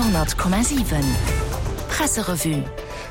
Radio 10,7 Presserevue.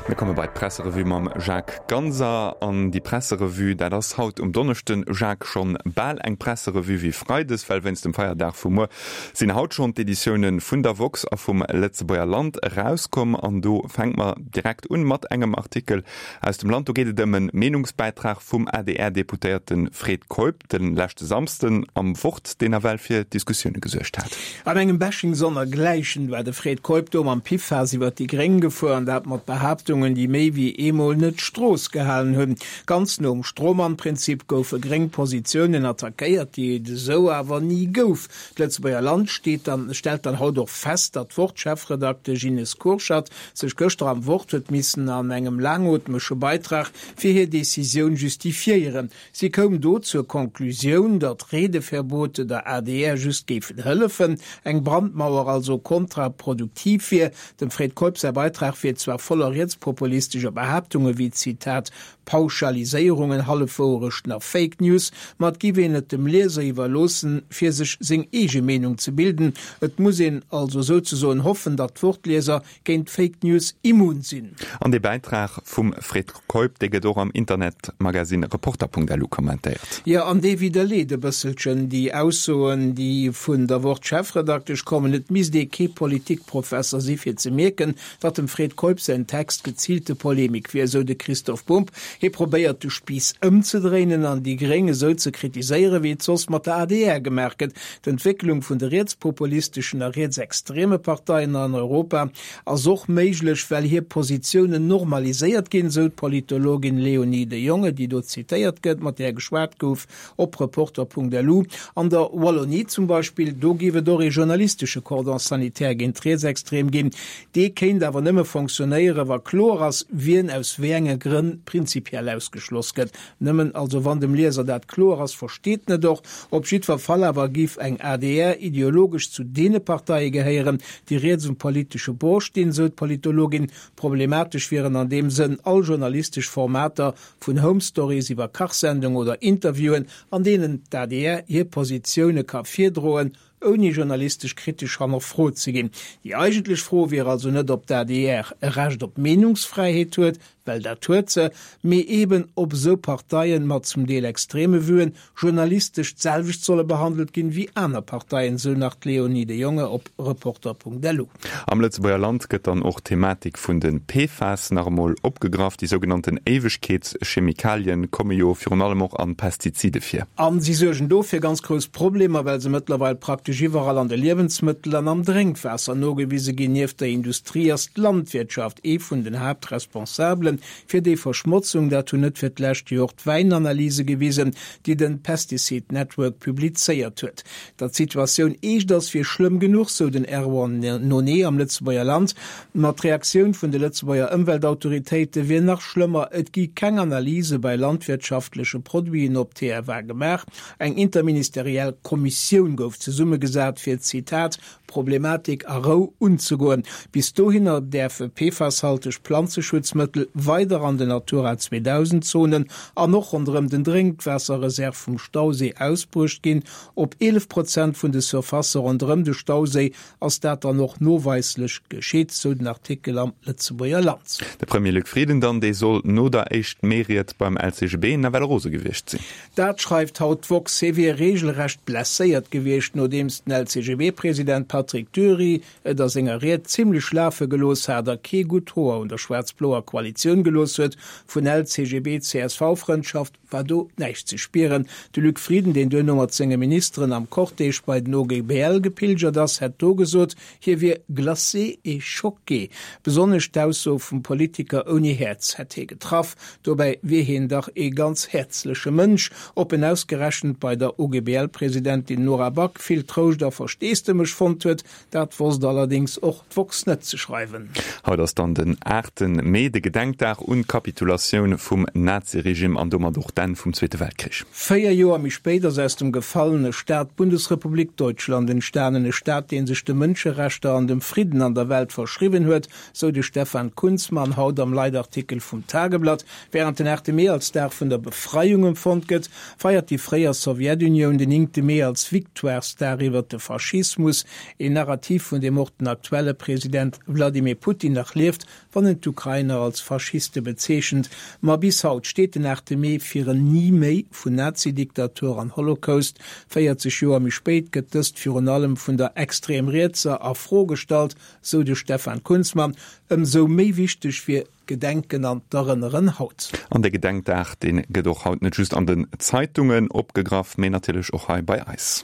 Mir komme bei d'Presserevue mam Jacques Ganser. An déi Presserevue, dat ass haut um Donneschden, Jacques, schonn bal eng Presserevue wéi freides, well wéinst dem Feierdag vu muer sinn haut schonn d'Editioune vun der woxx a vum Lëtzebuerger Land erauskomm. An do fänke mer direkt un mat engem Artikel aus dem Land. Do geet et ëm e Meenungsbäitrag vum ADR-Deputéierte Fred Keup de leschte Samsden am Wort, deen nawell fir Diskussioune gesuergt hat. An engem Bashing sonnergläichen war de Fred Keup do mam Piffaass iwwer déi Gréng gefuer, an dat mat Behaaptungen, déi méi wéi eemol net d'Strooss gehalen hunn. Ganz nom Strohmann-Prinzip goufe gréng Positiounen attackéiert, déi et esou awer ni gouf. D'Lëtzebuerger Land steet dann stellt dann haut och fest, datt d'Wort-Chefredaktesch Ines Kurschat sech gëschter am Wort huet missen an engem laangootmege Beitrag fir hir Decisioun justifiéieren. Si koum do zur Conclusioun, datt Redeverbote der adr just géifen hëllefen, eng Brandmauer also kontraproduktiv wier. Dem Fred Keup säi Beitrag wier zwar voller rietspopulistescher Behaaptunge wéi, Zitat, Pauschaliséierungen, Hallefwouerechten a Fake News, ma et giff een et dem Lieser iwwerloossen, fir sech seng eege Meenung ze bilden. Et muss een also souzesoen hoffen, datt d'Wort-Lieser géint Fake News immun sinn. An dee Bäitrag vum Fred Keup, dee gëtt och am Internetmagasinn Reporter.lu kommentéiert. Jo, an dee widderleet e bësselchen déi Aussoen, déi vun der Wort-Chefredaktesch kommen. Et misst ee kee Politikprofesser si fir ze mierken, datt dem Fred Keup säin Text geziilte Polemik wier, esou de Christoph Bumb. Hie probéiert de Spiiss ëmzedréinen an déi Gréng esou ze kritiséieren, wéi et soss mat der adr gemaach gëtt. D'Entwécklung vun de rietspopulisteschen a rietsextreme Parteien an Europa ass och méiglech, well hir Positiounen normaliséiert ginn, esou d'Politologin Léonie de Jonge, déi do zitéiert gëtt, mat där geschwat gouf op Reporter.lu. An der Wallonie zum Beispill, do géif et och ee journalistesche Cordon sanitaire géint d'Rietsextrem ginn. Dee kéint awer nëmme fonctionnéieren, wa kloer ass, wien aus wéi enge Grënn prinzipiell ausgeschloss gëtt. Nëmmen also wann dem Lieser dat kloer ass, versteet en et och. Op jiddwer Fall awer giff eng adr ideologesch zu deene Parteie gehéieren, déi riets um politesche Bord stinn, sou d'Politologin. Problematesch wieren an deem Sënn all journalistesch Formater, vun Home Stories iwwer Kachsendung oder Interviewen, an deenen d'ADR hir Positioune ka virdroen, ouni journalistesch kritesch hannerfrot ze ginn. Déi eigentlech Fro wier also net, ob d'ADR e Recht op Meenungsfräiheet huet, well dat huet se, mee eben, ob esou Parteien mat zum Deel extreme Vuen journalistesch d'selwecht solle behandelt ginn wéi aner Parteien, sou nach d'Léonie de Jonge op Reporter.lu. Am Lëtzebuerger Land gëtt dann och d'Thematik vun de PFAS nach emol opgegraff. Déi sougenannten Éiwegkeetschemikalien komme jo virun allem och an Pestizide vir. A si suergen do fir ganz grouss Problemer, well se mëttlerweil praktesch iwwerall an de Liewensmëttel an am Drénkwaasser nogewise ginn. Nieft der Industrie ass d'Landwirtschaft ee vun den Haaptresponsabelen fir déi Verschmotzung. Dat hunn net fir d'lescht jo och d'Wäinanalyse gewisen, déi den Pesticide Network publizéiert huet. Datt d'Situatioun eescht ass, wier schlëmm genuch, sou den Erwan Nonet am Lëtzebuerger Land. Ma d'Reaktioun vun de Lëtzebuerger Ëmweltautoritéite wier nach schlëmmer, Et gi keng Analyse bei landwirtschaftleche Produiten op TFA gemaach. Eng interministeriell Kommissioun gouf zesummegesat, fir, Zitat, d'Problematik a Rou unzegoen. Bis dohinner däerfe PFAS-halteg Planzeschutzmëttel weider an den Natura 2000 Zonen an och ronderëm den Drénkwaasserreserve vum Stauséi ausbruecht ginn. Op 11 Prozent vun de Surfacë ronderëm de Stauséi ass dat dann och noweislech geschitt, sou den Artikel am Lëtzebuerger Land. De Premier Luc Frieden dann, dee soll no der éischt Mee-Ried beim LCGB nawell rose gewiescht sinn. Dat schreift haut d'woxx. Hie wier reegelrecht blesséiert gewiescht, nodeems den LCGB-President Patrick Dury et a senger Ried zimmlech lafe gelooss hat a kee gutt Hoer un der schwaarz-bloer Koalitioun gelooss huet. Vun LCGB-CSV-Frëndschaft war do näischt ze spieren. De Luc Frieden, deen duerno mat senge Ministeren am Cortège bei den OGBL gepilgert ass, hätt do gesot, Hie wier glacé et choqué. Besonnesch d'Ausso vum Politiker ouni Häerz hätt hie getraff. Dobäi wier hien dach ee ganz häerzleche Mënsch. Ob en ausgerechent bei der OGBL-Presidentin Nora Back vill Trouscht a Versteesdemech fonnt huet, dat wosst allerdéngs och d'woxx net ze schreiwen. Haut ass dann den 8 Mee, de Gedenkdag. Gedenkdag un d'Kapitulatioun vum Naziregime an domat och d'Enn vum Zweete Weltkrich. 4 Joer méi spéit ass aus dem gefallene Staat d'Bundesrepublik Deutschland entstanen, e Staat, dee sech de Mënscherechter an dem Fridden an der Welt verschriwwen huet, sou de Stefan Kunzmann haut am Leitartikel vum Tageblatt. Wärend den 8 Mee als Dag vun der Befreiung empfonnt gëtt, feiert déi fréier Sowjetunioun den 9 Mee als Victoiresdag iwwer de Faschismus, een Narrativ vun deem och den aktuelle President Wladimir Putin nach lieft, wann en d'Ukrainer als Faschiste bezeechent. Ma bis haut steet den 8 Mee fir en Ni méi vun Nazidiktatur an Holocaust. 40 Joer méi spéit gëtt dëst virun allem vun der extrem Rietser a Fro gestallt, sou de Stefan Kunzmann. Ëmsou méi wichteg wier d'Gedenken an d'Erënneren haut. An de Gedenkdag, dee gëtt och haut net just an den Zeitungen opgegraff, mee natierlech och hei bei eis.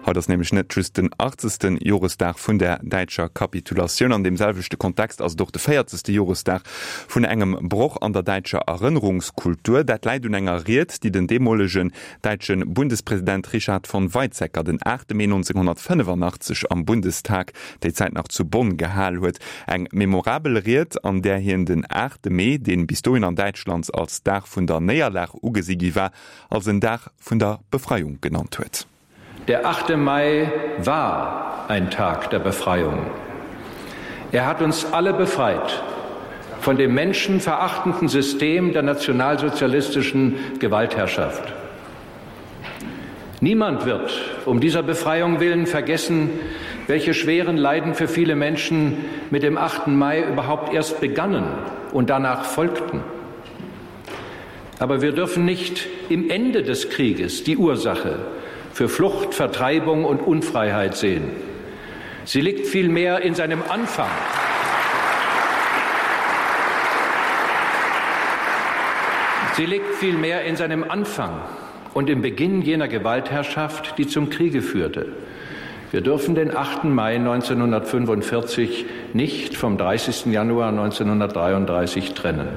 Haut ass nämlech net just den achtzegste Joresdag vun der däitscher Kapitulatioun. An deem selwechte Kontext ass et och de véierzegste Joresdag vun engem Broch an der däitscher Erënnerungskultur. Dat läit un enger Ried, déi den deemolegen däitsche Bundespresident Richard von Weizsäcker den 8 Mee 1985 am Bundestag, déi Zäit nach zu Bonn, gehal huet. Eng memorabel Ried, an där hien den 8 Mee, dee bis dohin an Däitschland als Dag vun der Néierlag ugesi gi war, als en Dag vun der Befreiung genannt huet. Der 8. Mai war ein Tag der Befreiung. Er hat uns alle befreit von dem menschenverachtenden System der nationalsozialistischen Gewaltherrschaft. Niemand wird um dieser Befreiung willen vergessen, welche schweren Leiden für viele Menschen mit dem 8. Mai überhaupt erst begannen und danach folgten. Aber wir dürfen nicht im Ende des Krieges die Ursache für Flucht, Vertreibung und Unfreiheit sehen. Sie liegt vielmehr in seinem Anfang. Sie liegt vielmehr in seinem Anfang und im Beginn jener Gewaltherrschaft, die zum Kriege führte. Wir dürfen den 8. Mai 1945 nicht vom 30. Januar 1933 trennen.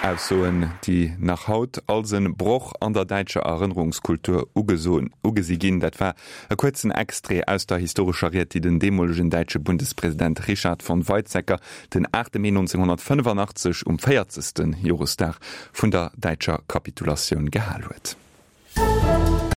Aussoen, déi nach haut als e Broch an der däitscher Erënnerungskultur ugesi ginn. Dat war e kuerzen Extrait aus der historescher Ried, déi den deemolegen däitsche Bundespresident Richard von Weizsäcker den 8 Mee 1985 um 40. Joresdag vun der däitscher Kapitulatioun gehal huet.